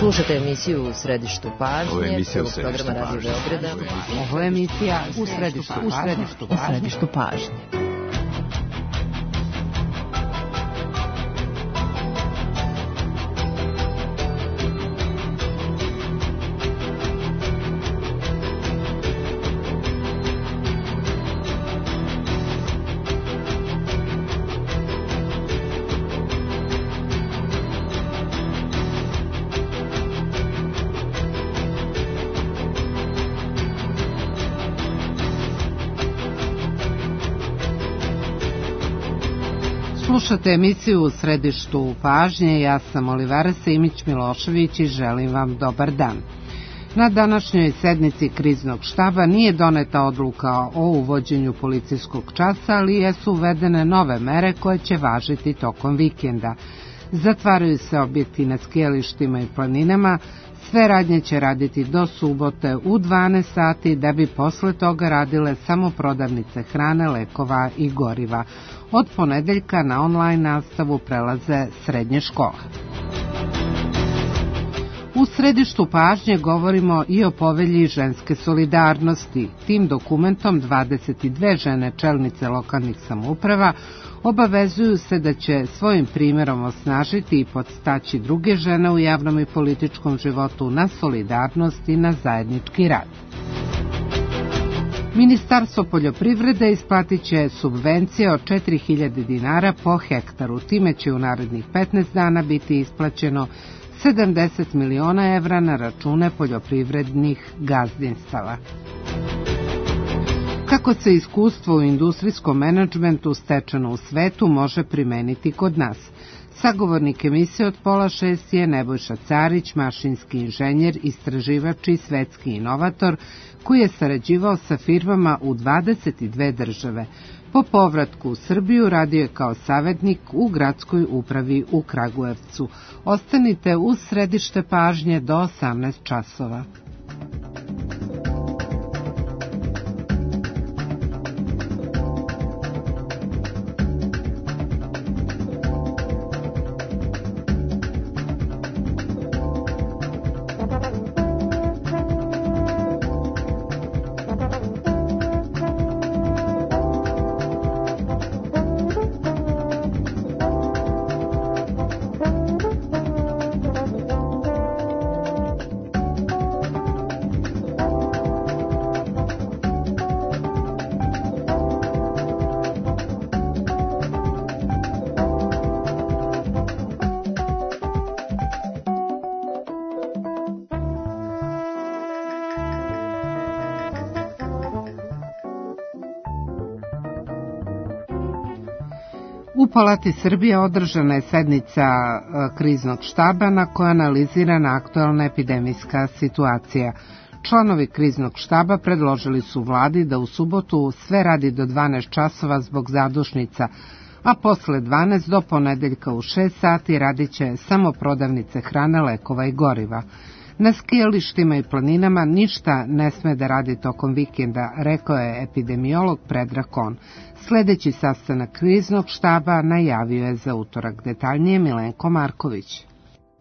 Slušate emisiju U središtu pažnje. Ovo je emisija U središtu pažnje. Ovo je emisija U središtu pažnje. Slušate emisiju U središtu pažnje, ja sam Olivera Simić-Milošević i želim vam dobar dan. Na današnjoj sednici kriznog štaba nije doneta odluka o uvođenju policijskog časa, ali jesu uvedene nove mere koje će važiti tokom vikenda. Zatvaraju se objekti na skijalištima i planinama, sve radnje će raditi do subote u 12 sati, da bi posle toga radile samo prodavnice hrane, lekova i goriva. Od ponedeljka na online nastavu prelaze srednje škole. U središtu pažnje govorimo i o povelji ženske solidarnosti. Tim dokumentom 22 žene čelnice lokalnih samouprava obavezuju se da će svojim primjerom osnažiti i podstaći druge žene u javnom i političkom životu na solidarnost i na zajednički rad. Ministarstvo poljoprivrede isplatit će subvencije od 4.000 dinara po hektaru. Time će u narednih 15 dana biti isplaćeno 70 miliona evra na račune poljoprivrednih gazdinstava. Kako se iskustvo u industrijskom menadžmentu stečeno u svetu može primeniti kod nas? Sagovornik emisije od 5:30 je Nebojša Carić, mašinski inženjer, istraživač i svetski inovator, koji je sarađivao sa firmama u 22 države. Po povratku u Srbiju radio je kao savetnik u gradskoj upravi u Kragujevcu. Ostanite uz središte pažnje do 18 časova. U Palati Srbije održana je sednica kriznog štaba na kojoj je analizirana aktuelna epidemijska situacija. Članovi kriznog štaba predložili su vladi da u subotu sve radi do 12 časova zbog zadušnica, a posle 12 do ponedeljka u 6 sati radit će samo prodavnice hrane, lekova i goriva. Na skijalištima i planinama ništa ne sme da radi tokom vikenda, rekao je epidemiolog Predrag Kon. Sledeći sastanak kriznog štaba najavio je za utorak. Detaljnije Milenko Marković.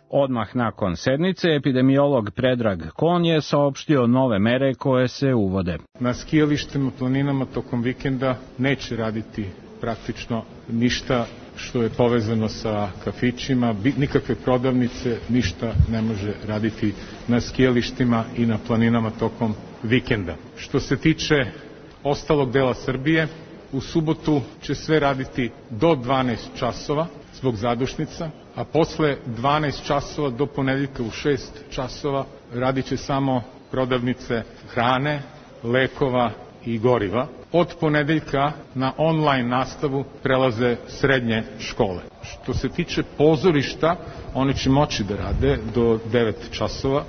Odmah nakon sednice, epidemiolog Predrag Kon je saopštio nove mere koje se uvode. Na skijalištima, planinama tokom vikenda neće raditi praktično ništa što je povezano sa kafićima, nikakve prodavnice, ništa ne može raditi na skijalištima i na planinama tokom vikenda. Što se tiče ostalog dela Srbije, u subotu će sve raditi do 12 časova zbog zadušnica, a posle 12 časova do ponedeljka u 6 časova radit će samo prodavnice hrane, lekova i goriva. Od ponedeljka na online nastavu prelaze srednje škole. Što se tiče pozorišta, oni će moći da rade do 9 časova.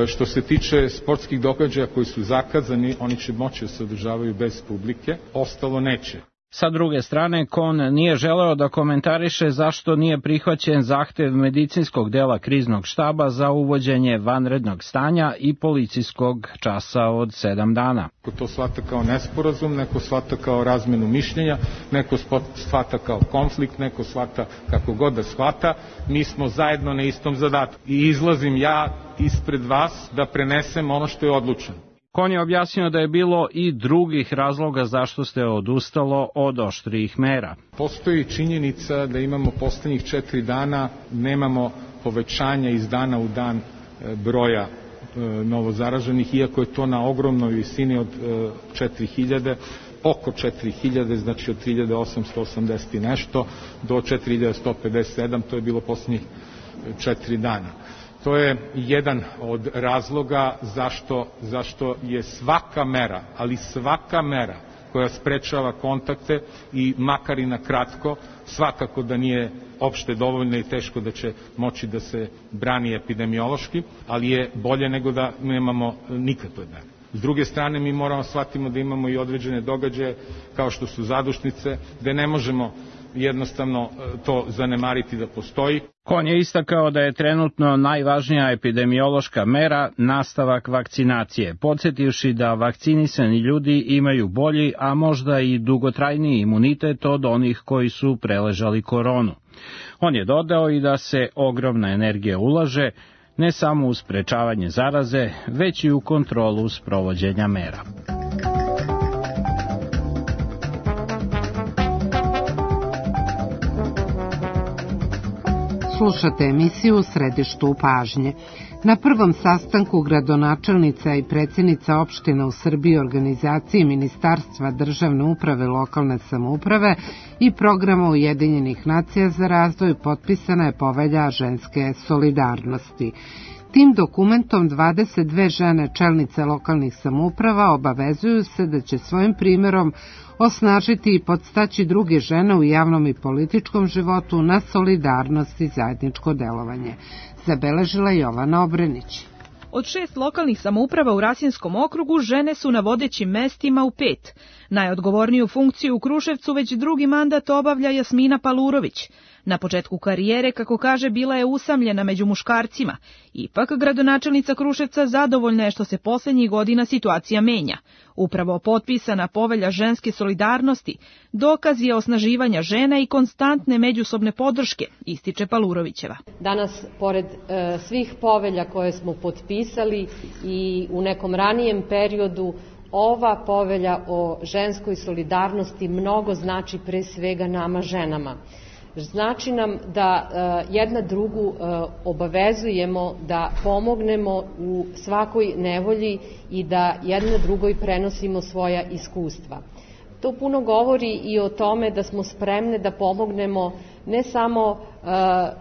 Što se tiče sportskih događaja koji su zakazani, oni će moći da se održavaju bez publike, ostalo neće. Sa druge strane, Kon nije želeo da komentariše zašto nije prihvaćen zahtev medicinskog dela kriznog štaba za uvođenje vanrednog stanja i policijskog časa od 7 dana. Neko to shvata kao nesporazum, neko shvata kao razmenu mišljenja, neko shvata kao konflikt, neko shvata kako god da shvata. Mi smo zajedno na istom zadatku i izlazim ja ispred vas da prenesem ono što je odlučeno. Kon je objasnio da je bilo i drugih razloga zašto ste odustalo od oštrijih mera. Postoji činjenica da imamo poslednjih 4 dana, nemamo povećanja iz dana u dan broja novozaraženih, iako je to na ogromnoj visini od 4000, oko 4000, znači od 3880 i nešto do 4157, to je bilo poslednjih 4 dana. To je jedan od razloga zašto je svaka mera, ali svaka mera koja sprečava kontakte i makar i na kratko, svakako da nije opšte dovoljna i teško da će moći da se brani epidemiološki, ali je bolje nego da nemamo nikakve mere. S druge strane, mi moramo shvatimo da imamo i određene događaje kao što su zadušnice, gde ne možemo jednostavno to zanemariti da postoji. Kon je istakao da je trenutno najvažnija epidemiološka mera nastavak vakcinacije, podsjetivši da vakcinisani ljudi imaju bolji, a možda i dugotrajniji imunitet od onih koji su preležali koronu. On je dodao i da se ogromna energija ulaže ne samo u sprečavanje zaraze, već i u kontrolu sprovođenja mera. Slušate emisiju u središtu pažnje. Na prvom sastanku gradonačelnica i predsjednica opština u Srbiji organizaciji Ministarstva državne uprave i lokalne samouprave i programa Ujedinjenih nacija za razvoj potpisana je povelja ženske solidarnosti. Tim dokumentom 22 žene čelnice lokalnih samouprava obavezuju se da će svojim primjerom osnažiti i podstaći druge žene u javnom i političkom životu na solidarnost i zajedničko delovanje. Zabeležila Jovana Obrenić. Od 6 lokalnih samouprava u Rasinskom okrugu žene su na vodećim mestima u 5. Najodgovorniju funkciju u Kruševcu već drugi mandat obavlja Jasmina Palurović. Na početku karijere, kako kaže, bila je usamljena među muškarcima. Ipak, gradonačelnica Kruševca zadovoljna je što se poslednjih godina situacija menja. Upravo potpisana povelja ženske solidarnosti dokaz je osnaživanja žena i konstantne međusobne podrške, ističe Palurovićeva. Danas, pored svih povelja koje smo potpisali i u nekom ranijem periodu, ova povelja o ženskoj solidarnosti mnogo znači pre svega nama ženama. Znači nam da jedna drugu obavezujemo da pomognemo u svakoj nevolji i da jedna drugoj prenosimo svoja iskustva. To puno govori i o tome da smo spremne da pomognemo ne samo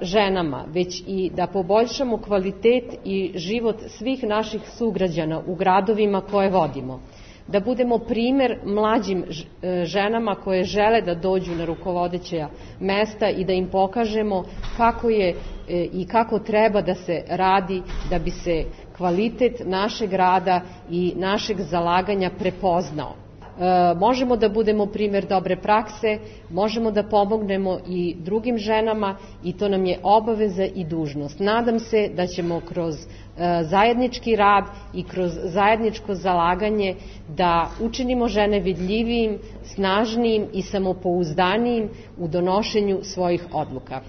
ženama, već i da poboljšamo kvalitet i život svih naših sugrađana u gradovima koje vodimo. Da budemo primer mlađim ženama koje žele da dođu na rukovodeća mesta i da im pokažemo kako je i kako treba da se radi da bi se kvalitet našeg rada i našeg zalaganja prepoznao. Možemo da budemo primer dobre prakse, možemo da pomognemo i drugim ženama i to nam je obaveza i dužnost. Nadam se da ćemo kroz zajednički rad i kroz zajedničko zalaganje da učinimo žene vidljivijim, snažnijim i samopouzdanijim u donošenju svojih odluka.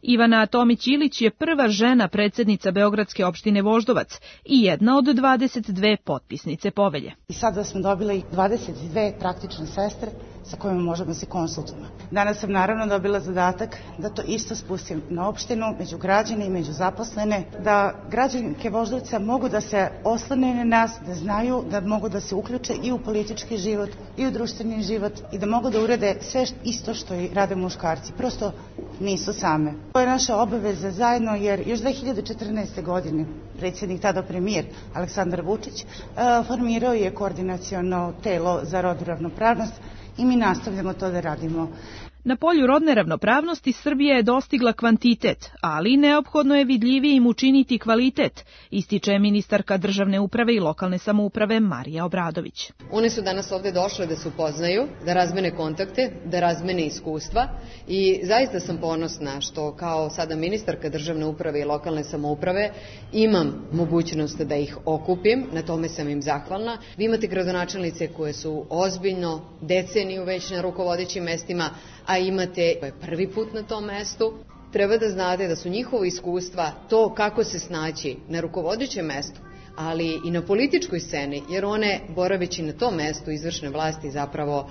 Ivana Tomić-Ilić je prva žena predsjednica Beogradske opštine Voždovac i jedna od 22 potpisnice povelje. I sada smo dobili 22 praktične sestre sa kojima možemo se konsultujemo. Danas sam naravno dobila zadatak da to isto spustim na opštinu, među građane i među zaposlene, da građanke Voždovca mogu da se oslone na nas, da znaju da mogu da se uključe i u politički život i u društveni život i da mogu da urede sve isto što i rade muškarci. Prosto nisu same. To je naša obaveza zajedno jer još 2014. godine predsjednik, tada premijer Aleksandar Vučić, formirao je koordinaciono telo za rodnu ravnopravnost i mi nastavljamo to da radimo. Na polju rodne ravnopravnosti Srbija je dostigla kvantitet, ali neophodno je vidljivijim učiniti kvalitet, ističe ministarka državne uprave i lokalne samouprave Marija Obradović. One su danas ovde došle da se upoznaju, da razmene kontakte, da razmene iskustva i zaista sam ponosna što kao sada ministarka državne uprave i lokalne samouprave imam mogućnost da ih okupim, na tome sam im zahvalna. Vi imate gradonačelnice koje su ozbiljno deceniju već na rukovodećim mestima, a imate prvi put na tom mestu. Treba da znate da su njihova iskustva to kako se snaći na rukovodećem mestu, ali i na političkoj sceni, jer one, boraveći na tom mestu izvršne vlasti, zapravo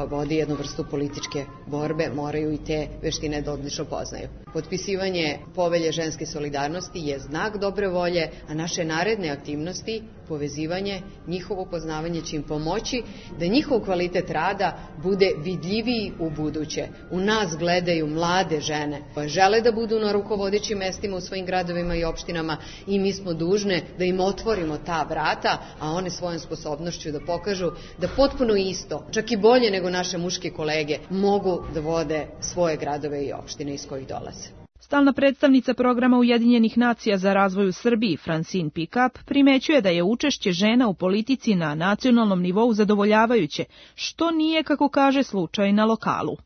vodi jednu vrstu političke borbe, moraju i te veštine da odlično poznaju. Potpisivanje povelje ženske solidarnosti je znak dobre volje, a naše naredne aktivnosti, povezivanje, njihovo poznavanje će im pomoći da njihov kvalitet rada bude vidljiviji u buduće. U nas gledaju mlade žene koje žele da budu na rukovodećim mestima u svojim gradovima i opštinama i mi smo dužne da im otvorimo ta vrata, a one svojom sposobnošću da pokažu da potpuno isto, čak i bolje nego naše muške kolege, mogu da vode svoje gradove i opštine iz kojih dolaze. Stalna predstavnica programa Ujedinjenih nacija za razvoj u Srbiji, Francine Pickup, primećuje da je učešće žena u politici na nacionalnom nivou zadovoljavajuće, što nije, kako kaže, slučaj na lokalu.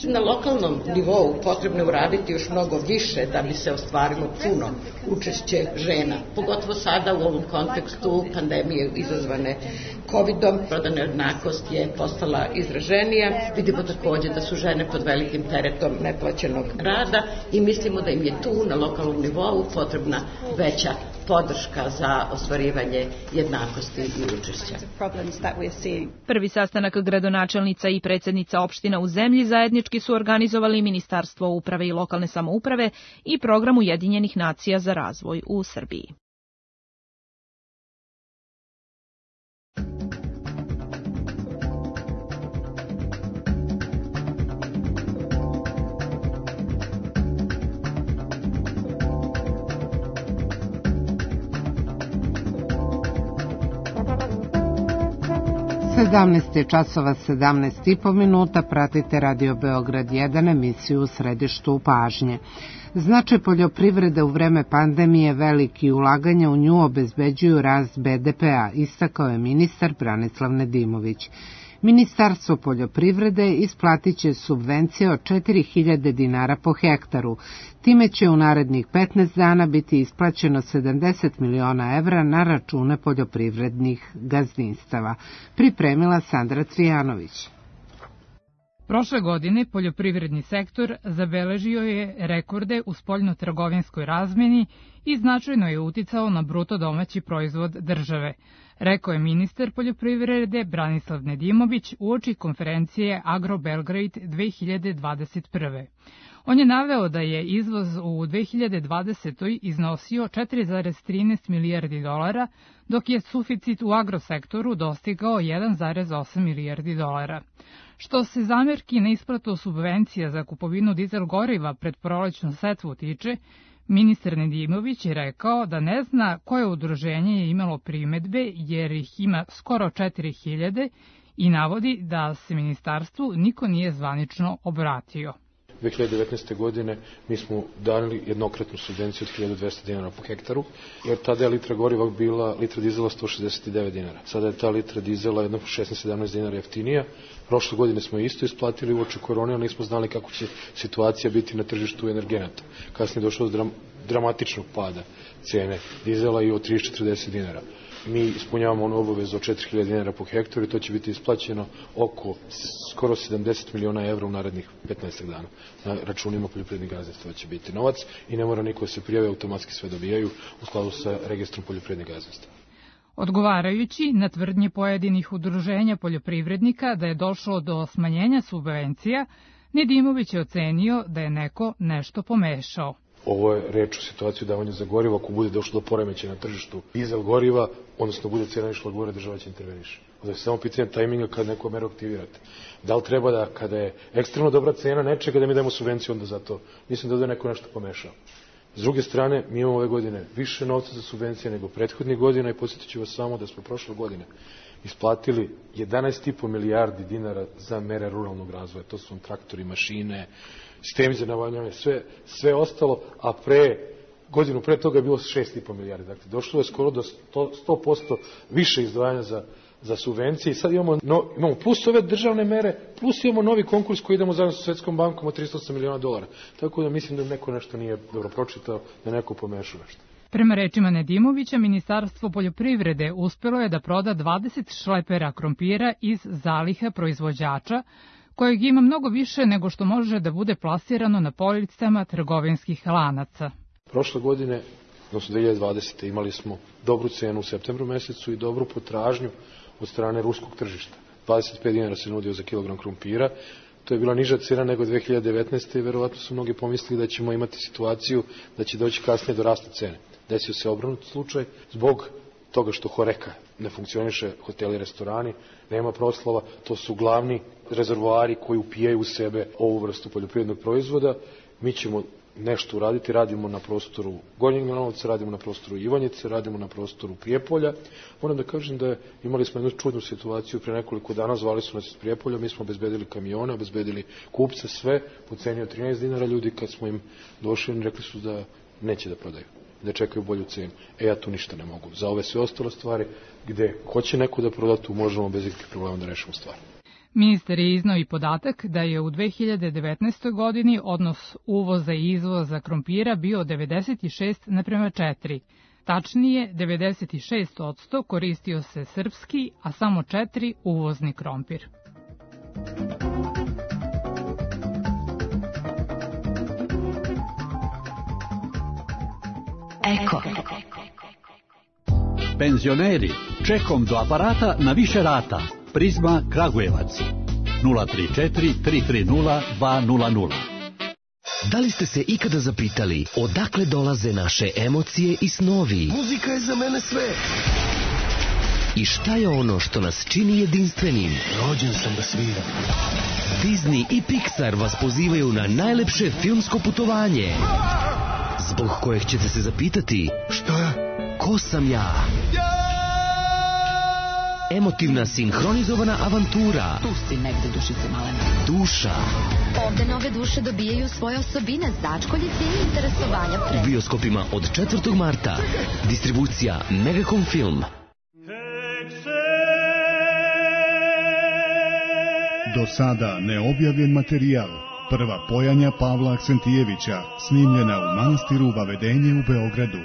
Na lokalnom nivou potrebno je uraditi još mnogo više da bi se ostvarilo puno učešće žena, pogotovo sada u ovom kontekstu pandemije izazvane COVID-om. Rodna nejednakost je postala izraženija. Vidimo takođe da su žene pod velikim teretom neplaćenog rada i mislimo da im je tu na lokalnom nivou potrebna veća podrška za ostvarivanje jednakosti i učešća. Prvi sastanak gradonačelnica i predsjednica opština u zemlji zajednički su organizovali Ministarstvo uprave i lokalne samouprave i program Ujedinjenih nacija za razvoj u Srbiji. časova 17,5 minuta, pratite Radio Beograd 1, emisiju u središtu pažnje. Značaj poljoprivrede u vreme pandemije veliki ulaganja u nju obezbeđuju rast BDP-a, istakao je ministar Branislav Nedimović. Ministarstvo poljoprivrede isplatit će subvencije od 4.000 dinara po hektaru. Time će u narednih 15 dana biti isplaćeno 70 miliona evra na račune poljoprivrednih gazdinstava. Pripremila Sandra Cvijanović. Prošle godine poljoprivredni sektor zabeležio je rekorde u spoljnotrgovinskoj razmeni i značajno je uticao na bruto domaći proizvod države, rekao je ministar poljoprivrede Branislav Nedimović uoči konferencije Agro Belgrade 2021. On je naveo da je izvoz u 2020. iznosio 4,13 milijardi dolara, dok je suficit u agrosektoru dostigao 1,8 milijardi dolara. Što se zamerki na isplatu subvencija za kupovinu dizel goriva pred prolećnu setvu tiče, ministar Nedimović je rekao da ne zna koje udruženje je imalo primedbe jer ih ima skoro 4.000 i navodi da se ministarstvu niko nije zvanično obratio. 2019. godine mi smo dali jednokratnu subvenciju od 1.200 dinara po hektaru, jer tada je litra goriva bila, litra dizela 169 dinara. Sada je ta litra dizela jedno 16-17 dinara jeftinija. Prošle godine smo isto isplatili uoči korone, ali nismo znali kako će situacija biti na tržištu energenata. Kasnije je došlo do dramatičnog pada cene dizela i od 30-40 dinara. Mi ispunjavamo onu obavezu od 4.000 dinara po hektaru i to će biti isplaćeno oko skoro 70 miliona evra u narednih 15 dana. Na računima poljoprivrednih gazdinstva će biti novac i ne mora niko da se prijave, automatski sve dobijaju u skladu sa registrom poljoprivrednih gazdinstva. Odgovarajući na tvrdnje pojedinih udruženja poljoprivrednika da je došlo do smanjenja subvencija, Nedimović je ocenio da je neko nešto pomešao. Ovo je reč o situaciju davanja za gorivo. Ako bude došlo do poremećaja na tržištu dizel goriva, odnosno bude cena išla gore, država će interveniše. Ovo je samo pitanje tajminga kada neko meru aktivirate. Da li treba da, kada je ekstremno dobra cena nečega, da mi dajemo subvenciju onda za to? Mislim da ovdje neko nešto pomešao. S druge strane, mi imamo ove godine više novca za subvencije nego prethodnih godina i podsjetit ću vas samo da smo prošle godine isplatili 11,5 milijardi dinara za mere ruralnog razvoja. To su traktori, mašine, sistemi za navodnjavanje, sve ostalo, a godinu pre toga je bilo 6,5 milijardi. Dakle, došlo je skoro do 100% više izdvajanja za subvencije i sad imamo plus ove državne mere, plus imamo novi konkurs koji idemo zajedno sa Svetskom bankom od $308 miliona. Tako da mislim da neko nešto nije dobro pročitao, da neko pomešao nešto. Prema rečima Nedimovića, Ministarstvo poljoprivrede uspelo je da proda 20 šlepera krompira iz zaliha proizvođača, kojeg ima mnogo više nego što može da bude plasirano na policama trgovinskih lanaca. Prošle godine, odnosno 2020. imali smo dobru cenu u septembru mesecu i dobru potražnju od strane ruskog tržišta. 25 dinara se nudio za kilogram krompira. To je bila niža cena nego 2019. i verovatno su mnogi pomislili da ćemo imati situaciju da će doći kasnije do rasta cene. Desio se obrnut slučaj zbog toga što Horeka ne funkcioniše, hoteli, restorani, nema proslava, to su glavni rezervoari koji upijaju u sebe ovu vrstu poljoprivrednog proizvoda. Mi ćemo nešto uraditi, radimo na prostoru Gornjeg Milanovca, radimo na prostoru Ivanjice, radimo na prostoru Prijepolja. Moram da kažem da imali smo jednu čudnu situaciju pre nekoliko dana, zvali su nas iz Prijepolja, mi smo obezbedili kamione, obezbedili kupce, sve po ceni od 13 dinara, ljudi kad smo im došli rekli su da neće da prodaju, da čekaju bolju cenu. Ja tu ništa ne mogu. Za ove sve ostale stvari gde hoće neko da proda, tu možemo bez ikakvih problema da rešimo stvar. Ministar je iznao i podatak da je u 2019. godini odnos uvoza i izvoza krompira bio 96:4. Tačnije, 96% koristio se srpski, a samo 4 uvozni krompir. Eko. Penzioneri, čekom do aparata na više rata. Prizma Kragujevac 034 330 200. Da li ste se ikada zapitali odakle dolaze naše emocije i snovi? Muzika je za mene sve. I šta je ono što nas čini jedinstvenim? Rođen sam da sviram. Disney i Pixar vas pozivaju na najlepše filmsko putovanje, zbog kojeg ćete se zapitati: šta? Ko sam ja? Emotivna, sinhronizovana avantura. Tu si negde, dušice malena. Duša. Ovde nove duše dobijaju svoje osobine, začkoljice i interesovanja pre. U bioskopima od 4. marta. Distribucija Megacom Film. Do sada neobjavljen materijal. Prva pojanja Pavla Aksentijevića, snimljena u manastiru Vavedenje u Beogradu.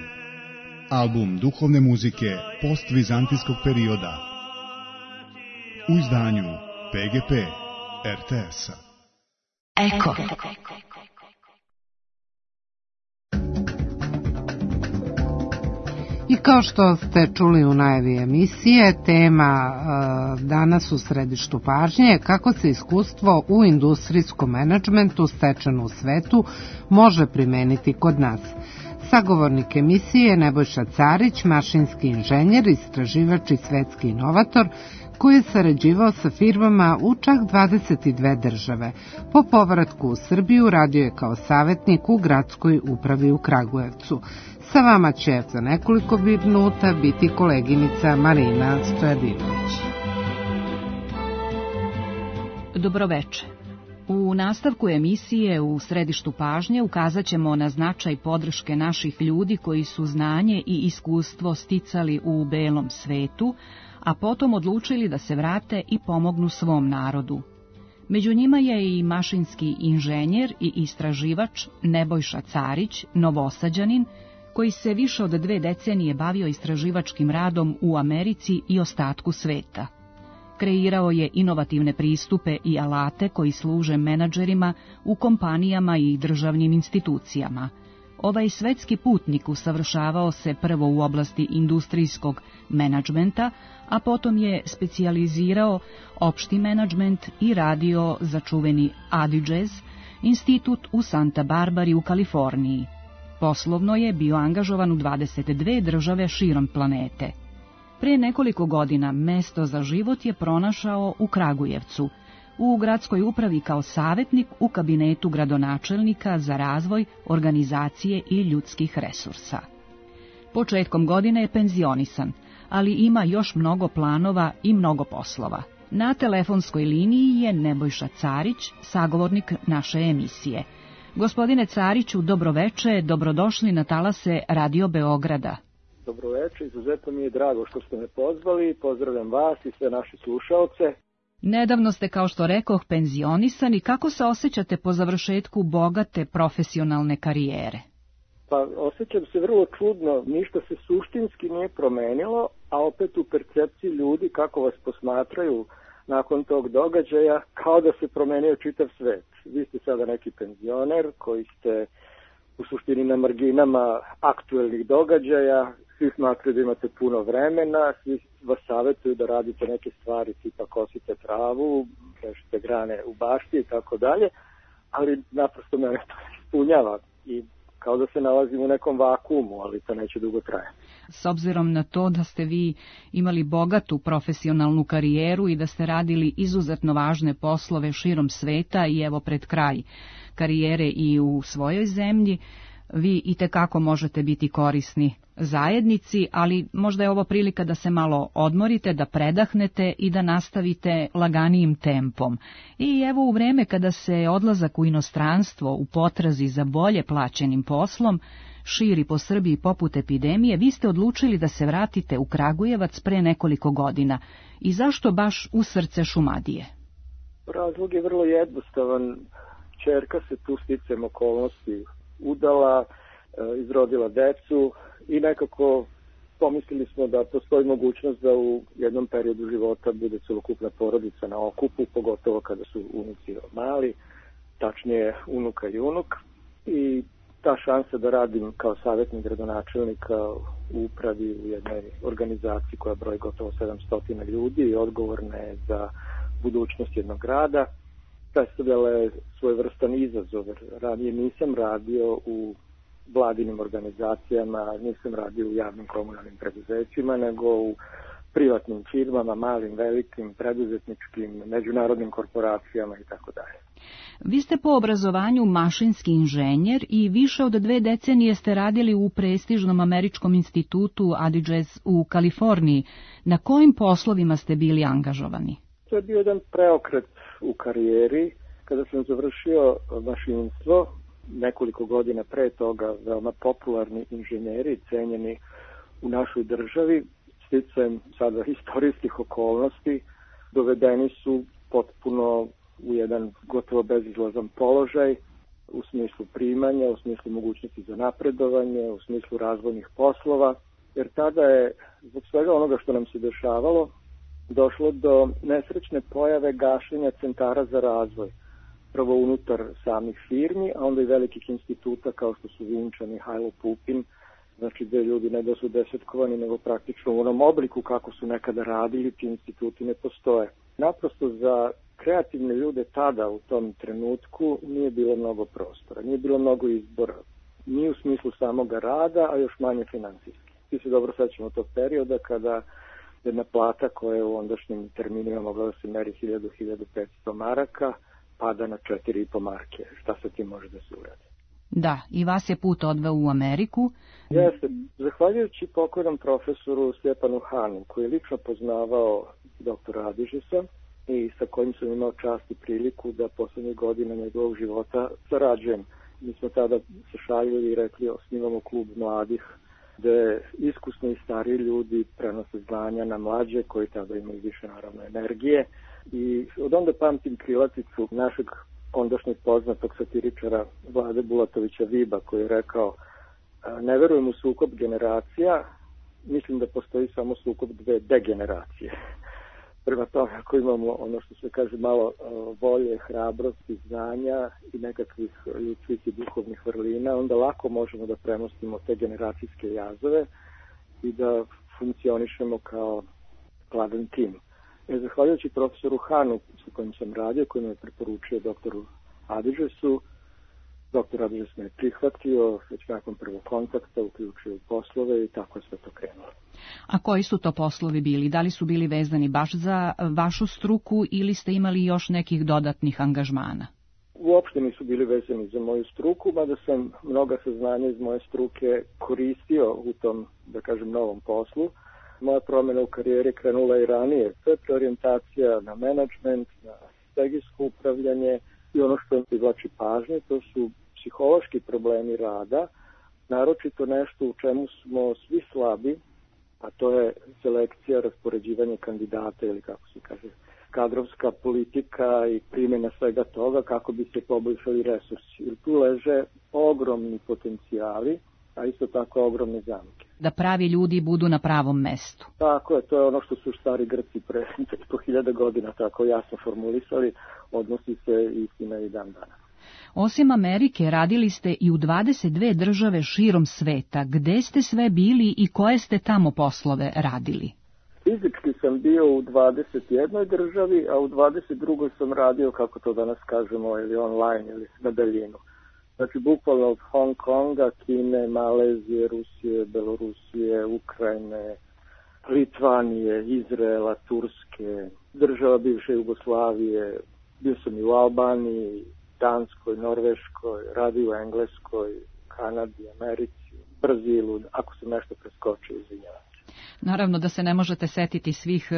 Album duhovne muzike postvizantijskog perioda. U izdanju PGP RTS-a. Eko. I kao što ste čuli u najavi emisije, tema danas u središtu pažnje je kako se iskustvo u industrijskom menadžmentu stečeno u svetu može primeniti kod nas. Sagovornik emisije je Nebojša Carić, mašinski inženjer, istraživač i svetski inovator, koji je sarađivao sa firmama u čak 22 države. Po povratku u Srbiju radio je kao savjetnik u gradskoj upravi u Kragujevcu. Sa vama će za nekoliko minuta biti koleginica Marina Stojadinović. Dobroveče. U nastavku emisije u središtu pažnje ukazat ćemo na značaj podrške naših ljudi koji su znanje i iskustvo sticali u belom svetu, a potom odlučili da se vrate i pomognu svom narodu. Među njima je i mašinski inženjer i istraživač Nebojša Carić, Novosađanin, koji se više od 2 decenije bavio istraživačkim radom u Americi i ostatku sveta. Kreirao je inovativne pristupe i alate koji služe menadžerima u kompanijama i državnim institucijama. Ovaj svetski putnik usavršavao se prvo u oblasti industrijskog menadžmenta, a potom je specijalizirao opšti menadžment i radio za čuveni Adigez, institut u Santa Barbari u Kaliforniji. Poslovno je bio angažovan u 22 države širom planete. Pre nekoliko godina mesto za život je pronašao u Kragujevcu, u gradskoj upravi kao savjetnik u kabinetu gradonačelnika za razvoj, organizacije i ljudskih resursa. Početkom godine je penzionisan, ali ima još mnogo planova i mnogo poslova. Na telefonskoj liniji je Nebojša Carić, sagovornik naše emisije. Gospodine Cariću, dobroveče, dobrodošli na talase Radio Beograda. Dobroveče, izuzetno mi je drago što ste me pozvali, pozdravljam vas i sve naše slušaoce. Nedavno ste, kao što rekoh, penzionisani. Kako se osjećate po završetku bogate profesionalne karijere? Pa osjećam se vrlo čudno, ništa se suštinski nije promenilo, a opet u percepciji ljudi kako vas posmatraju nakon tog događaja, kao da se promenio čitav svet. Vi ste sada neki penzioner koji ste u suštini na marginama aktuelnih događaja, svi smatraju da imate puno vremena, svi vas savjetuju da radite neke stvari tipa kosite travu, rešite grane u bašti i tako dalje, ali naprosto mene to ispunjava i kao da se nalazim u nekom vakuumu, ali to neće dugo trajati. S obzirom na to da ste vi imali bogatu profesionalnu karijeru i da ste radili izuzetno važne poslove širom sveta i evo pred kraj karijere i u svojoj zemlji, vi itekako možete biti korisni zajednici, ali možda je ovo prilika da se malo odmorite, da predahnete i da nastavite laganijim tempom. I evo u vreme kada se odlazak u inostranstvo u potrazi za bolje plaćenim poslom širi po Srbiji poput epidemije, vi ste odlučili da se vratite u Kragujevac pre nekoliko godina. I zašto baš u srce Šumadije? Razlog je vrlo jednostavan. Ćerka se tu sticajem okolnosti udala, izrodila decu i nekako pomislili smo da postoji mogućnost da u jednom periodu života bude celokupna porodica na okupu, pogotovo kada su unuci mali, tačnije unuka i unuk. I ta šansa da radim kao savjetnik gradonačelnika u upravi u jednoj organizaciji koja broji gotovo 700 ljudi i odgovorna je za budućnost jednog grada, predstavljala je svojevrstan izazov. Ranije nisam radio u vladinim organizacijama, nisam radio u javnim komunalnim preduzećima, nego u privatnim firmama, malim, velikim, preduzetničkim, međunarodnim korporacijama i tako dalje. Vi ste po obrazovanju mašinski inženjer i više od 2 decenije ste radili u prestižnom američkom institutu Adigez u Kaliforniji. Na kojim poslovima ste bili angažovani? To je bio jedan preokret u karijeri. Kada sam završio mašinstvo, nekoliko godina pre toga veoma popularni inženjeri, cenjeni u našoj državi, sticajem sada istorijskih okolnosti, dovedeni su potpuno u jedan gotovo bezizlazan položaj u smislu primanja, u smislu mogućnosti za napredovanje, u smislu razvojnih poslova, jer tada je, zbog svega onoga što nam se dešavalo, došlo do nesrećne pojave gašenja centara za razvoj. Prvo unutar samih firmi, a onda i velikih instituta kao što su Vinčan i Hajlo Pupin, znači gde ljudi ne da su desetkovani, nego praktično u onom obliku kako su nekada radili, ti instituti ne postoje. Naprosto za kreativne ljude tada u tom trenutku nije bilo mnogo prostora, nije bilo mnogo izbora, ni u smislu samoga rada, a još manje finansijski. Svi se dobro sećamo tog perioda kada jedna plata koja je u ondašnjim terminima mogla da se meri 1000-1500 maraka, pada na 4,5 marke. Šta se tim može da se uradi? Da, i vas je put odveo u Ameriku. Jeste, zahvaljujući pokojnom profesoru Stjepanu Hanu, koji je lično poznavao doktora Adižesa i sa kojim sam imao čast i priliku da poslednjih godina njegovog života sarađujem. Mi smo tada se šalili i rekli osnivamo klub mladih, gde iskusni i stariji ljudi prenose znanja na mlađe koji tada imaju više naravno energije. I od onda pamtim krilaticu našeg ondašnjeg poznatog satiričara Vlade Bulatovića Viba koji je rekao: ne verujem u sukob generacija, mislim da postoji samo sukob 2 degeneracije. Prema tome, ako imamo ono što se kaže malo volje, hrabrosti, znanja i nekakvih ljudskih i duhovnih vrlina, onda lako možemo da premostimo te generacijske jazove i da funkcionišemo kao skladan tim. Zahvaljujući profesoru Hanu sa kojim sam radio, koji me je preporučio doktoru Adižesu, doktor Adižes me je prihvatio već nakon prvog kontakta, uključio u poslove i tako je sve to krenulo. A koji su to poslovi bili? Da li su bili vezani baš za vašu struku ili ste imali još nekih dodatnih angažmana? Uopšte nisu bili vezani za moju struku, mada sam mnoga saznanja iz moje struke koristio u tom, da kažem, novom poslu. Moja promjena u karijeri krenula i ranije. To je preorijentacija na menadžment, na strategijsko upravljanje i ono što privlači pažnje, to su psihološki problemi rada, naročito nešto u čemu smo svi slabi, a to je selekcija, raspoređivanje kandidata ili kako se kaže, kadrovska politika i primjena svega toga kako bi se poboljšali resursi. Jer tu leže ogromni potencijali, a isto tako ogromne zamke. Da pravi ljudi budu na pravom mestu. Tako je, to je ono što su stari Grci pre 5.000 godina tako jasno formulisali, odnosi se istina i dan danas. Osim Amerike, radili ste i u 22 države širom sveta. Gde ste sve bili i koje ste tamo poslove radili? Fizički sam bio u 21 državi, a u 22 sam radio, kako to danas kažemo, ili online, ili na daljinu. Znači, bukvalno od Hong Konga, Kine, Malezije, Rusije, Belorusije, Ukrajine, Litvanije, Izraela, Turske, država bivše Jugoslavije, bio sam i u Albaniji, Danskoj, Norveškoj, radio u Engleskoj, Kanadi, Americi, Brazilu, ako sam nešto preskočio, izvinjavam. Naravno da se ne možete setiti svih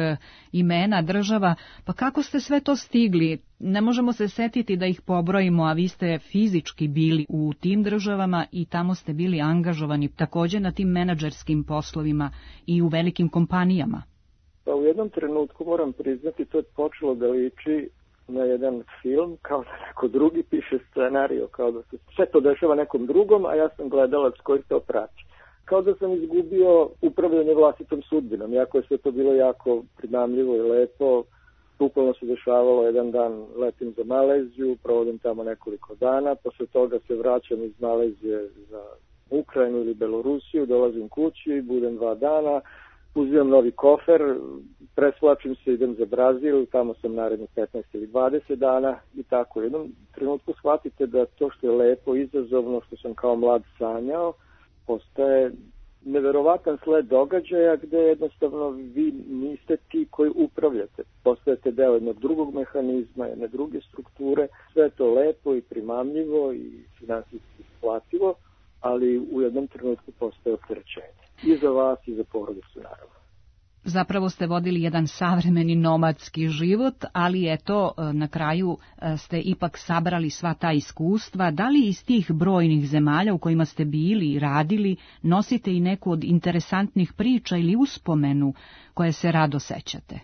imena država, pa kako ste sve to stigli? Ne možemo se setiti da ih pobrojimo, a vi ste fizički bili u tim državama i tamo ste bili angažovani također na tim menadžerskim poslovima i u velikim kompanijama. Pa u jednom trenutku moram priznati, to je počelo da liči na jedan film, kao da neko drugi piše scenariju, kao da se sve to dešava nekom drugom, a ja sam gledalac koji to prati. Kao da sam izgubio upravljanje vlastitom sudbinom, iako je sve to bilo jako primamljivo i lepo. Bukvalno se dešavalo, jedan dan letim za Maleziju, provodim tamo nekoliko dana, posle toga se vraćam iz Malezije za Ukrajinu ili Belorusiju, dolazim kući, budem 2 dana, uzimam novi kofer, presvlačim se, idem za Brazil, tamo sam narednih 15 ili 20 dana i tako. U jednom trenutku shvatite da to što je lepo, izazovno, što sam kao mlad sanjao, postaje neverovatan sled događaja gde jednostavno vi niste ti koji upravljate. Postajete deo jednog drugog mehanizma, jedne druge strukture. Sve je to lepo i primamljivo i finansijski isplativo, ali u jednom trenutku postaje opterećenje. I za vas i za porodicu, naravno. Zapravo ste vodili jedan savremeni nomadski život, ali eto, na kraju ste ipak sabrali sva ta iskustva. Da li iz tih brojnih zemalja u kojima ste bili i radili nosite i neku od interesantnih priča ili uspomenu koje se rado sećate?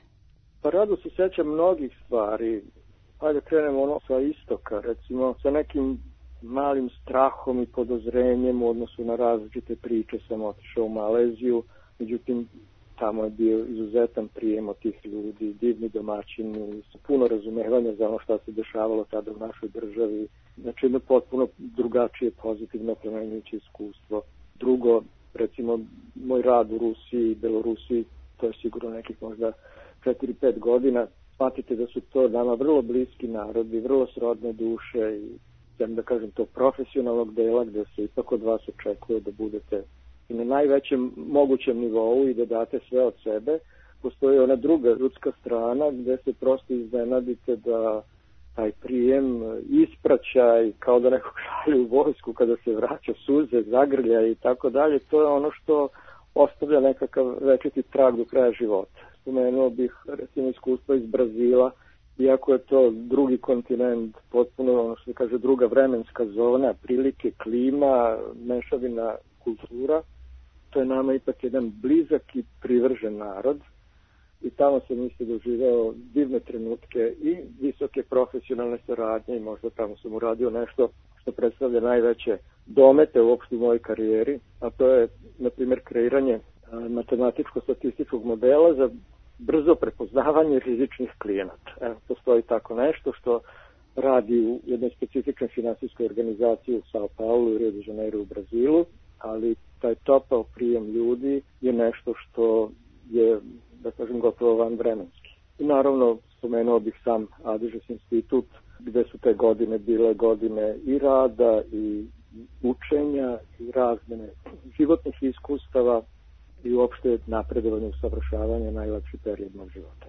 Pa rado se sećam mnogih stvari. Hajde krenemo sa istoka, recimo sa nekim malim strahom i podozrenjem u odnosu na različite priče sam otišao u Maleziju, međutim tamo je bio izuzetan prijem od tih ljudi, divni domaćini, puno razumevanja za ono što se dešavalo tada u našoj državi. Znači jedno potpuno drugačije, pozitivno, plemenjuće iskustvo. Drugo, recimo, moj rad u Rusiji i Belorusiji, to je sigurno nekih možda 4-5 godina. Shvatite da su to nama vrlo bliski narodi, vrlo srodne duše i da kažem to profesionalnog dela gde se ipak od vas očekuje da budete i na najvećem mogućem nivou i da date sve od sebe. Postoji ona druga ljudska strana gde se prosto iznenadite da taj prijem ispraća i kao da nekog šalju u vojsku kada se vraća, suze, zagrlja i tako dalje. To je ono što ostavlja nekakav večiti trag do kraja života. Spomenuo bih recimo iskustvo iz Brazila, iako je to drugi kontinent, potpuno ono što se kaže druga vremenska zona, prilike, klima, mešavina kultura. To je nama ipak jedan blizak i privržen narod i tamo sam isto doživeo divne trenutke i visoke profesionalne saradnje i možda tamo sam uradio nešto što predstavlja najveće domete uopšte u mojoj karijeri, a to je, na primjer, kreiranje matematičko-statističkog modela za brzo prepoznavanje rizičnih klijenata. Evo, postoji tako nešto što radi u jednoj specifičnoj finansijskoj organizaciji u Sao Paulo i Rio de Janeiro u Brazilu, ali taj topao prijem ljudi je nešto što je, da kažem, gotovo vanvremenski. I naravno, spomenuo bih sam Adežes institut, gde su te godine bile godine i rada i učenja i razmene životnih iskustava i uopšte napredovanje, usavršavanje, najlepši period mog života.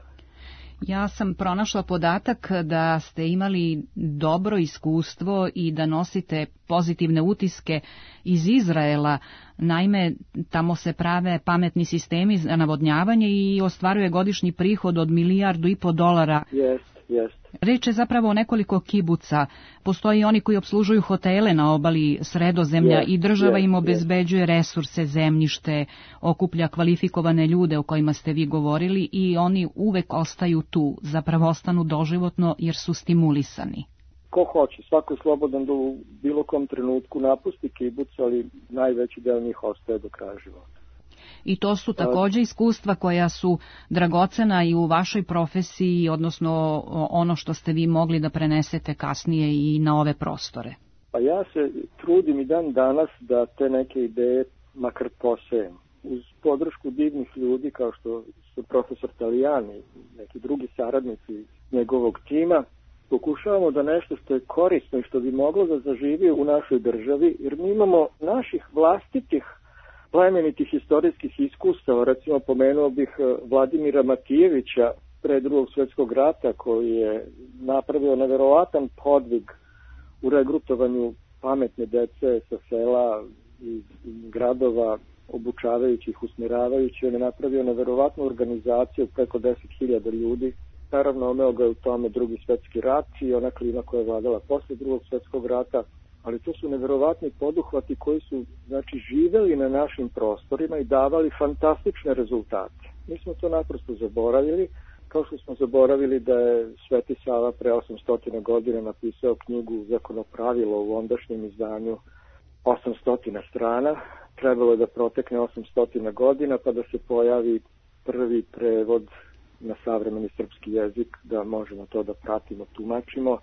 Ja sam pronašla podatak da ste imali dobro iskustvo i da nosite pozitivne utiske iz Izraela. Naime, tamo se prave pametni sistemi za navodnjavanje i ostvaruje godišnji prihod od $1,5 milijardu. Jest. Reč je zapravo o nekoliko kibuca. Postoji oni koji opslužuju hotele na obali Sredozemlja i država im obezbeđuje resurse, zemljište, okuplja kvalifikovane ljude o kojima ste vi govorili i oni uvek ostaju tu, zapravo ostanu doživotno jer su stimulisani. Ko hoće, svako je slobodan da u bilo kom trenutku napusti kibuc, ali najveći deo njih ostaje do kraja života. I to su takođe iskustva koja su dragocena i u vašoj profesiji, odnosno ono što ste vi mogli da prenesete kasnije i na ove prostore. Pa ja se trudim i dan danas da te neke ideje makar posejem. Uz podršku divnih ljudi kao što su profesor Talijani i neki drugi saradnici njegovog tima, pokušavamo da nešto što je korisno i što bi moglo da zaživi u našoj državi, jer mi imamo naših vlastitih plemenitih istorijskih iskustava. Recimo, pomenuo bih Vladimira Matijevića pre Drugog svjetskog rata, koji je napravio neverovatan podvig u regrutovanju pametne dece sa sela i gradova, obučavajući ih, usmjeravajući. On je napravio neverovatnu organizaciju preko 10.000 ljudi. Naravno, omeo ga je u tome Drugi svjetski rat i ona klima koja je vladala posle Drugog svjetskog rata, ali to su neverovatni poduhvati koji su, znači, živeli na našim prostorima i davali fantastične rezultate. Mi smo to naprosto zaboravili, kao što smo zaboravili da je Sveti Sava pre 800 godina napisao knjigu Zakonopravilo u ondašnjem izdanju 800 strana. Trebalo je da protekne 800 godina pa da se pojavi prvi prevod na savremeni srpski jezik, da možemo to da pratimo, tumačimo,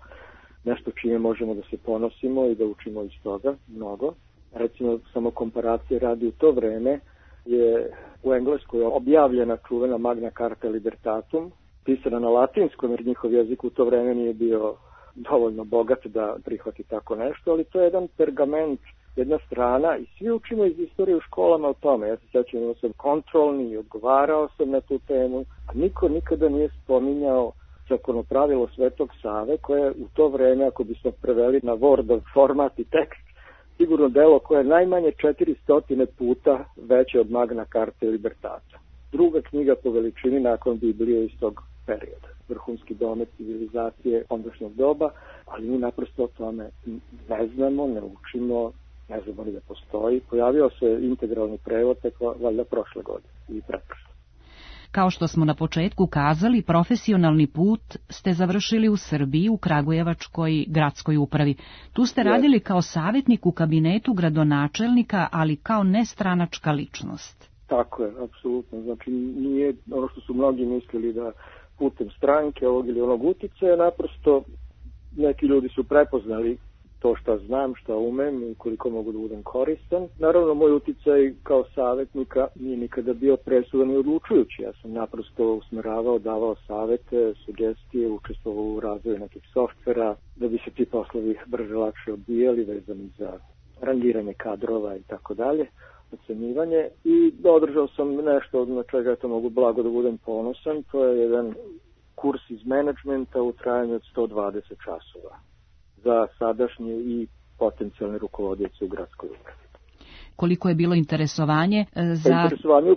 nešto čime možemo da se ponosimo i da učimo iz toga mnogo. Recimo, samo komparacije radi, u to vreme je u Engleskoj objavljena čuvena Magna Carta Libertatum, pisana na latinskom, jer njihov jezik u to vreme nije bio dovoljno bogat da prihvati tako nešto, ali to je jedan pergament, jedna strana i svi učimo iz istorije u školama o tome. Ja se sjećam, imao sam kontrolni i odgovarao sam na tu temu, a niko nikada nije spominjao Zakonopravilo Svetog Save, koje u to vreme, ako bismo preveli na Word format i tekst, sigurno delo koje je najmanje 400 puta veće od Magna Carta Libertata. Druga knjiga po veličini nakon Biblije iz tog perioda. Vrhunski domet civilizacije ondašnjeg doba, ali mi naprosto o tome ne znamo, ne učimo, ne znamo ni da postoji. Pojavio se integralni prevod tek valjda prošle godine i pretprošle. Kao što smo na početku kazali, profesionalni put ste završili u Srbiji, u Kragujevačkoj gradskoj upravi. Tu ste radili kao savjetnik u kabinetu gradonačelnika, ali kao nestranačka ličnost. Tako je, apsolutno. Znači, nije ono što su mnogi mislili da putem stranke ovog ili onog uticaja, naprosto neki ljudi su prepoznali to šta znam, šta umem i koliko mogu da budem koristan. Naravno, moj uticaj kao savjetnika nije nikada bio presudan i odlučujući. Ja sam naprosto usmeravao, davao savete, sugestije, učestvovao u razvoju nekih softvera, da bi se ti poslovi brže, lakše odbijali, vezani za rangiranje kadrova i tako dalje, ocenjivanje. I održao sam nešto na čega to mogu blago da budem ponosan. To je jedan kurs iz menadžmenta u trajanju od 120 časova za sadašnje i potencijalne rukovodioce u gradskoj upravi. Koliko je bilo interesovanje za... Interesovanje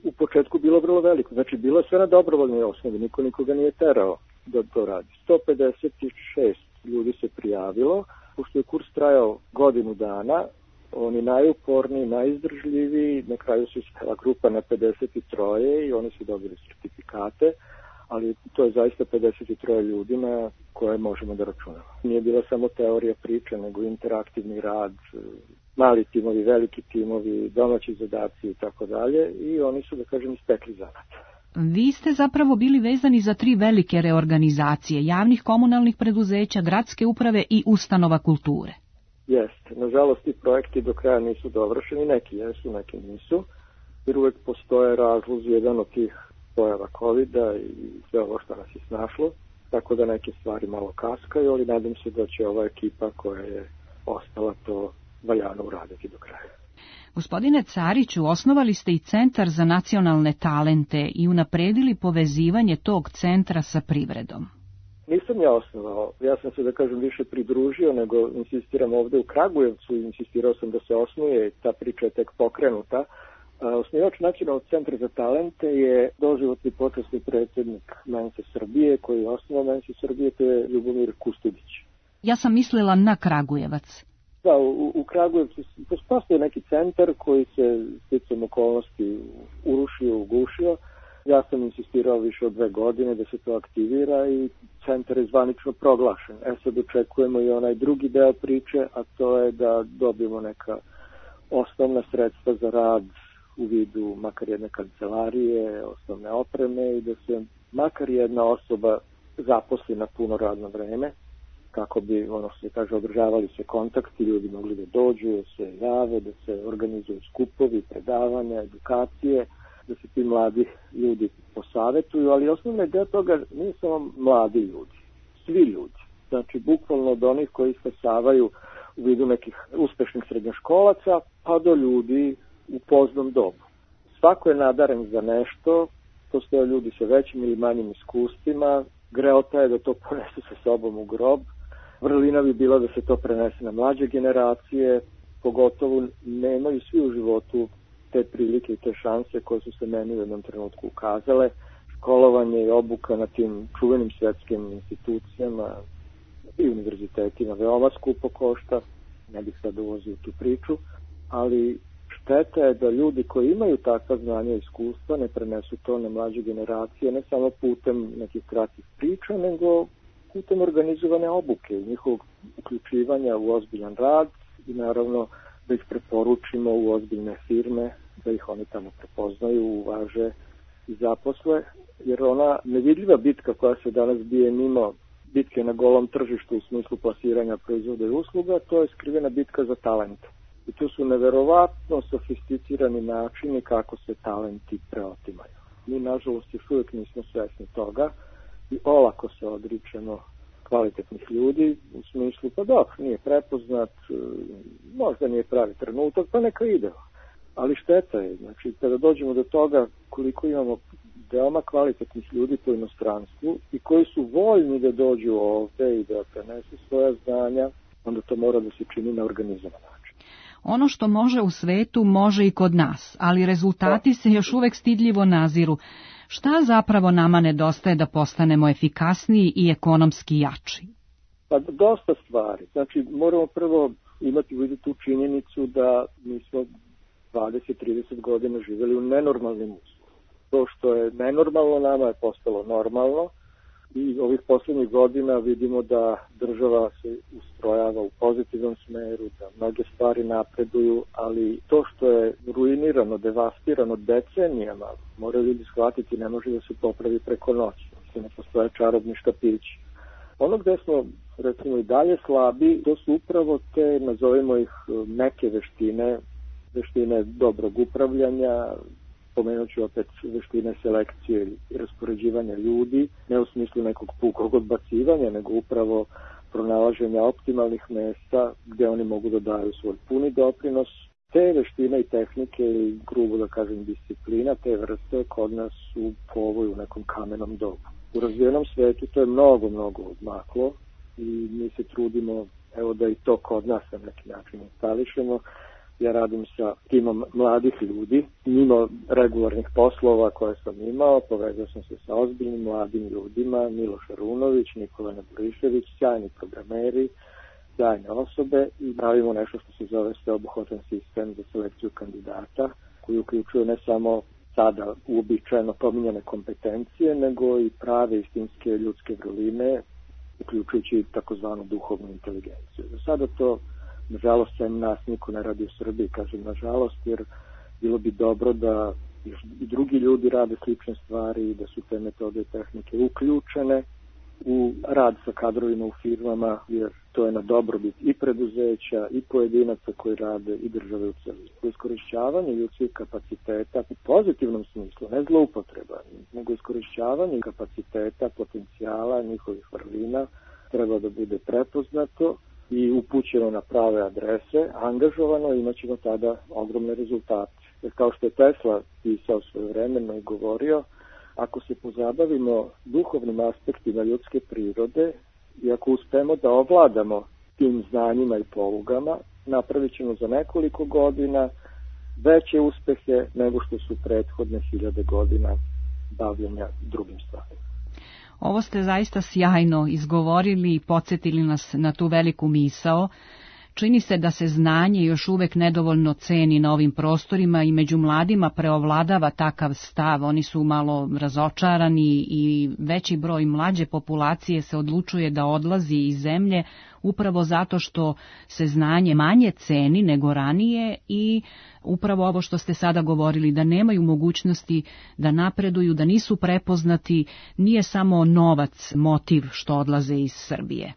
u početku bilo vrlo veliko. Znači, bilo je sve na dobrovoljnoj osnovi, niko nikoga nije terao da to radi. 156 ljudi se prijavilo, pošto je kurs trajao godinu dana, oni najuporniji, najizdržljiviji, na kraju se ispela grupa na 53 i oni su dobili sertifikate, ali to je zaista 53 ljudi na koje možemo da računamo. Nije bila samo teorija priče, nego interaktivni rad, mali timovi, veliki timovi, domaći zadaci i tako dalje, i oni su, da kažem, ispekli zanat. Vi ste zapravo bili vezani za 3 velike reorganizacije, javnih komunalnih preduzeća, gradske uprave i ustanova kulture. Jeste. Nažalost, ti projekti do kraja nisu dovršeni, neki jesu, neki nisu, jer uvek postoje razlozi, jedan od tih pojava COVID-a i sve ovo što nas je snašlo, tako da neke stvari malo kaskaju, ali nadam se da će ova ekipa koja je ostala to valjano uraditi do kraja. Gospodine Cariću, osnovali ste i Centar za nacionalne talente i unapredili povezivanje tog centra sa privredom. Nisam ja osnovao, ja sam se, da kažem, više pridružio, nego insistiram ovde u Kragujevcu, insistirao sam da se osnuje, ta priča je tek pokrenuta. Osnivač Nacionalnog centra za talente je doživotni počasni predsjednik Mense Srbije, koji je osnovao Mense Srbije, to je Ljubomir Kustudić. Ja sam mislila na Kragujevac. Da, u Kragujevcu postoji neki centar koji se sticam okolnosti urušio, ugušio. Ja sam insistirao više od 2 godine da se to aktivira i centar je zvanično proglašen. Sad očekujemo i onaj drugi deo priče, a to je da dobijemo neka osnovna sredstva za rad u vidu makar jedne kancelarije, osnovne opreme i da se makar jedna osoba zaposli na puno radno vreme, kako bi, se kaže, održavali se kontakti, ljudi mogli da dođu, da se jave, da se organizuju skupovi, predavanja, edukacije, da se ti mladi ljudi posavetuju, ali osnovna ideja toga nije samo mladi ljudi, svi ljudi. Znači, bukvalno od onih koji stasavaju u vidu nekih uspešnih srednjoškolaca, pa do ljudi u poznom dobu. Svako je nadaren za nešto, postoje ljudi sa većim ili manjim iskustvima, greota je da to ponese sa sobom u grob, vrlina bi bila da se to prenese na mlađe generacije, pogotovo nemaju svi u životu te prilike i te šanse koje su se meni u jednom trenutku ukazale. Školovanje i obuka na tim čuvenim svetskim institucijama i univerzitetima veoma skupo košta, ne bih sad ulazio u tu priču, ali šteta je da ljudi koji imaju takva znanja i iskustva ne prenesu to na mlađe generacije, ne samo putem nekih kratkih priča, nego putem organizovane obuke, njihovog uključivanja u ozbiljan rad i naravno da ih preporučimo u ozbiljne firme, da ih oni tamo prepoznaju, uvaže i zaposle, jer ona nevidljiva bitka koja se danas bije mimo bitke na golom tržištu u smislu plasiranja proizvoda i usluga, to je skrivena bitka za talente. I tu su neverovatno sofisticirani načini kako se talenti preotimaju. Mi, nažalost, još uvijek nismo svesni toga i olako se odričemo kvalitetnih ljudi u smislu, pa dobro, nije prepoznat, možda nije pravi trenutak, pa neka ide. Ali šteta je, znači, kada dođemo do toga koliko imamo veoma kvalitetnih ljudi po inostranstvu i koji su voljni da dođu ovde i da prenesu svoja znanja, onda to mora da se čini na organizovan način. Ono što može u svetu, može i kod nas, ali rezultati se još uvek stidljivo naziru. Šta zapravo nama nedostaje da postanemo efikasniji i ekonomski jači? Pa dosta stvari. Znači, moramo prvo imati u vidu tu činjenicu da mi smo 20-30 godina živjeli u nenormalnim uslovima. To što je nenormalno nama je postalo normalno i ovih poslednjih godina vidimo da država se ustrojava u pozitivnom smeru, da mnoge stvari napreduju, ali to što je ruinirano, devastirano decenijama, moraju ljudi shvatiti, ne može da se popravi preko noći. Ne postoje čarobni štapići. Ono gde smo, recimo, i dalje slabi, to su upravo te, nazovimo ih, neke veštine dobrog upravljanja, pomenut ću opet veštine selekcije i raspoređivanja ljudi, ne u smislu nekog pukog odbacivanja, nego upravo pronalaženja optimalnih mesta gde oni mogu da daju svoj puni doprinos. Te veštine i tehnike i, grubo da kažem, disciplina, te vrste kod nas su povoj u nekom kamenom dobu. U razvijenom svetu to je mnogo odmaklo i mi se trudimo, evo, da i to kod nas na neki način instališemo. Ja radim sa timom mladih ljudi, mimo regularnih poslova koje sam imao, povezao sam se sa ozbiljnim mladim ljudima, Miloš Arunović, Nikola Neborišević, sjajni programeri, sjajne osobe i pravimo nešto što se zove sveobuhvatan sistem za selekciju kandidata, koji uključuje ne samo sada uobičajeno pominjane kompetencije, nego i prave istinske ljudske vrline, uključujući takozvanu duhovnu inteligenciju. Za sada to, nažalost, sem nas niko ne radi u Srbiji, kažem nažalost, jer bilo bi dobro da i drugi ljudi rade slične stvari i da su te metode i tehnike uključene u rad sa kadrovima u firmama, jer to je na dobrobit i preduzeća i pojedinaca koji rade i države u celini. Iskorišćavanje ljudskih kapaciteta u pozitivnom smislu, ne zloupotreba, nego iskorišćavanje kapaciteta, potencijala, njihovih vrlina treba da bude prepoznato i upućeno na prave adrese, angažovano, imat ćemo tada ogromne rezultate. Jer kao što je Tesla pisao svojevremeno i govorio, ako se pozabavimo duhovnim aspektima ljudske prirode i ako uspemo da ovladamo tim znanjima i polugama, napravit ćemo za nekoliko godina veće uspehe nego što su prethodne 1000 godina bavljenja drugim stvarima. Ovo ste zaista sjajno izgovorili i podsjetili nas na tu veliku misao. Čini se da se znanje još uvek nedovoljno ceni na ovim prostorima i među mladima preovladava takav stav. Oni su malo razočarani i veći broj mlađe populacije se odlučuje da odlazi iz zemlje upravo zato što se znanje manje ceni nego ranije i upravo ovo što ste sada govorili, da nemaju mogućnosti da napreduju, da nisu prepoznati, nije samo novac motiv što odlaze iz Srbije.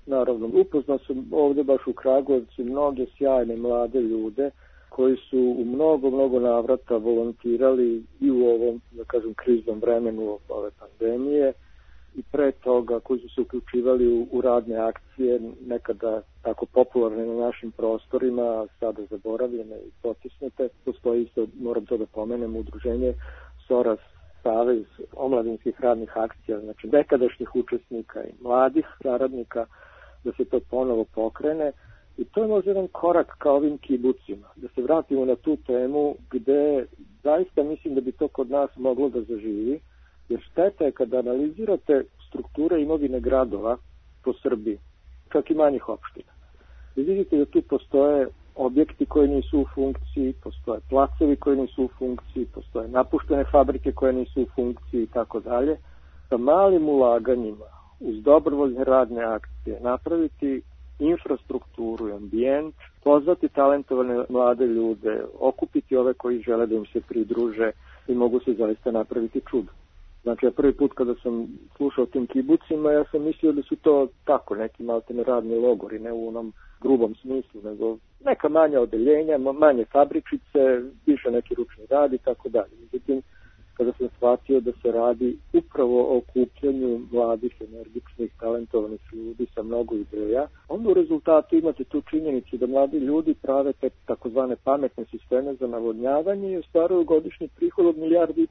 Naravno. Upoznao sam ovdje baš u Kragujevcu mnoge sjajne mlade ljude koji su u mnogo navrata volontirali i u ovom, da kažem, kriznom vremenu ove pandemije i pre toga koji su se uključivali u radne akcije, nekada tako popularne na našim prostorima, sada zaboravljene i potisnute. Postoji isto, moram to da pomenem, udruženje SORAS, Savez omladinskih radnih akcija, znači nekadašnjih učesnika i mladih saradnika, da se to ponovo pokrene. I to je možda jedan korak ka ovim kibucima, da se vratimo na tu temu gde zaista mislim da bi to kod nas moglo da zaživi, jer šteta je kada analizirate strukture imovine gradova po Srbiji, čak i manjih opština. I vidite da tu postoje objekti koji nisu u funkciji, postoje placovi koji nisu u funkciji, postoje napuštene fabrike koje nisu u funkciji i tako dalje. Sa malim ulaganjima, uz dobrovoljne radne akcije, napraviti infrastrukturu i ambijent, pozvati talentovane mlade ljude, okupiti ove koji žele da im se pridruže i mogu se zaista napraviti čudo. Znači, ja prvi put kada sam slušao tim kibucima, ja sam mislio da su to tako neki maltene radni logori, ne u onom grubom smislu, nego neka manja odeljenja, manje fabričice, više neki ručni rad i tako dalje. Međutim, kada sam shvatio da se radi upravo o okupljanju mladih, energičnih, talentovanih ljudi sa mnogo ideja, onda u rezultatu imate tu činjenicu da mladi ljudi prave te takozvane pametne sisteme za navodnjavanje i ostvaruju godišnji prihod od $1,5 milijardi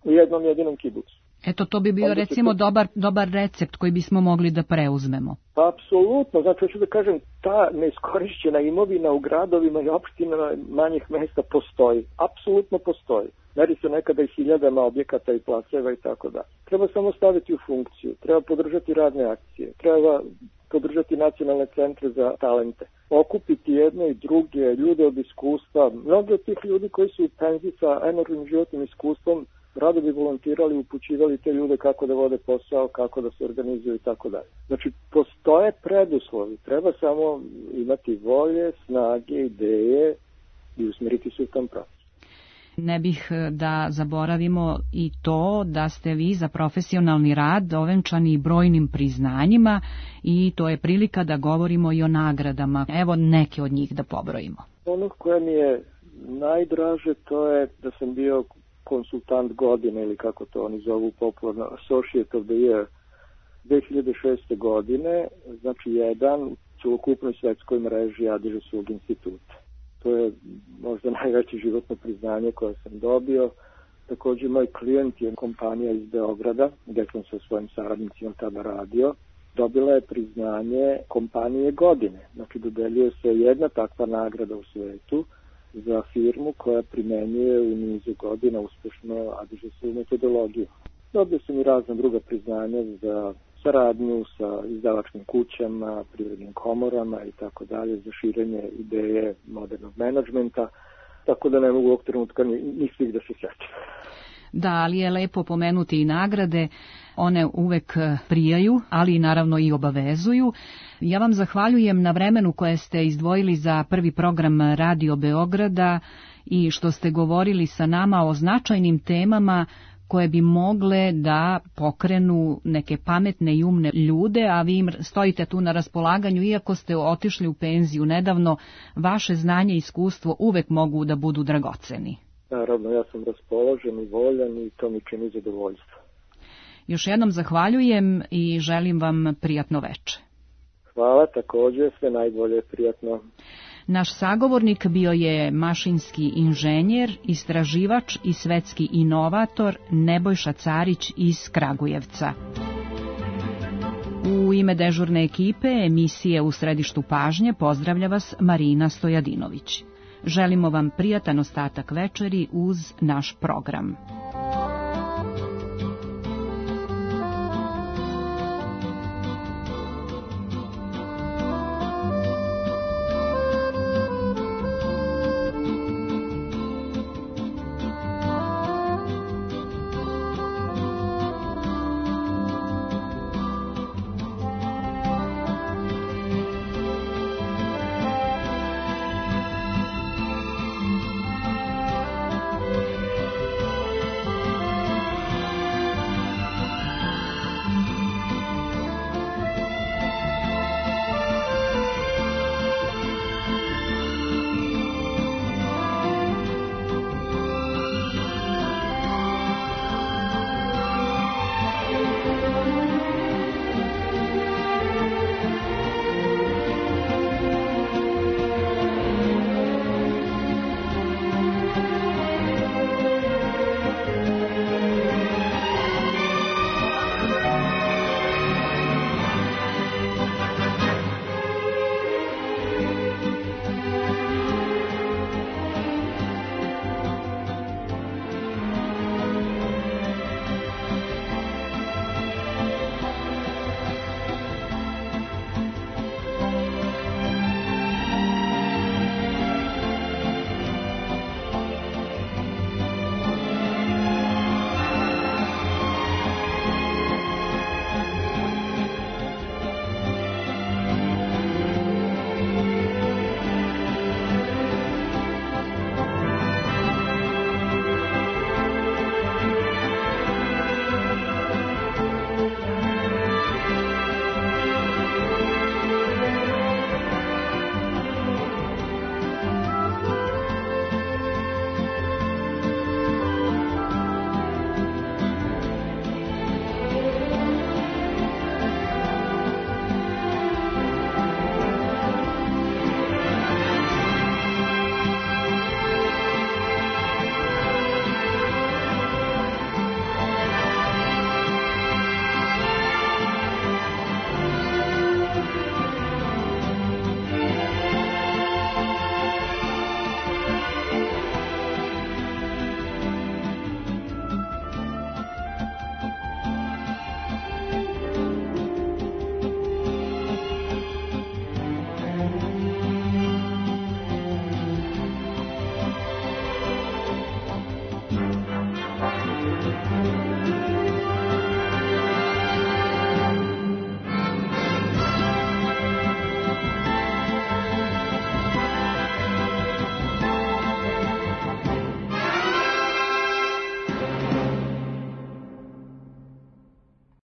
u jednom jedinom kibucu. Eto, to bi bio recimo dobar recept koji bismo mogli da preuzmemo. Pa, apsolutno. Znači, hoću da kažem, ta neiskorišćena imovina u gradovima i opštinama manjih mesta postoji. Apsolutno postoji. Meri se nekada i hiljadama objekata i placeva i tako da. Treba samo staviti u funkciju. Treba podržati radne akcije. Treba podržati nacionalne centre za talente. Okupiti jedne i druge ljude od iskustva. Mnogi od tih ljudi koji su u penziji sa enormnim životnim iskustvom rado bi volontirali, upućivali te ljude kako da vode posao, kako da se organizuju i tako dalje. Znači, postoje preduslovi, treba samo imati volje, snage, ideje i usmeriti se u tom pravcu. Ne bih da zaboravimo i to da ste vi za profesionalni rad ovenčani brojnim priznanjima i to je prilika da govorimo i o nagradama. Evo neke od njih da pobrojimo. Ono koje mi je najdraže to je da sam bio konsultant godine ili kako to oni zovu popularno Associate of the Year 2006. godine, znači jedan u celokupnoj svetskoj mreži Adiževskog instituta. To je možda najveće životno priznanje koje sam dobio. Također moj klijent je kompanija iz Beograda, gdje sam sa svojim saradnicima tada radio. Dobila je priznanje kompanije godine. Znači dodeljuje se jedna takva nagrada u svetu za firmu koja primenjuje u nizu godina uspešno adiževsku metodologiju. Dobio sam i razna druga priznanja za saradnju sa izdavačkim kućama, privrednim komorama i tako dalje, za širenje ideje modernog menadžmenta, tako da ne mogu ovog trenutka ni svih da se sjećam. Da, ali je lepo pomenuti i nagrade, one uvek prijaju, ali naravno i obavezuju. Ja vam zahvaljujem na vremenu koje ste izdvojili za prvi program Radio Beograda i što ste govorili sa nama o značajnim temama koje bi mogle da pokrenu neke pametne i umne ljude, a vi im stojite tu na raspolaganju, iako ste otišli u penziju nedavno, vaše znanje i iskustvo uvek mogu da budu dragoceni. Naravno, ja sam raspoložen i voljan i to mi čini zadovoljstvo. Još jednom zahvaljujem i želim vam prijatno veče. Hvala, također, sve najbolje, prijatno. Naš sagovornik bio je mašinski inženjer, istraživač i svetski inovator Nebojša Carić iz Kragujevca. U ime dežurne ekipe emisije U središtu pažnje pozdravlja vas Marina Stojadinović. Želimo vam prijatan ostatak večeri uz naš program.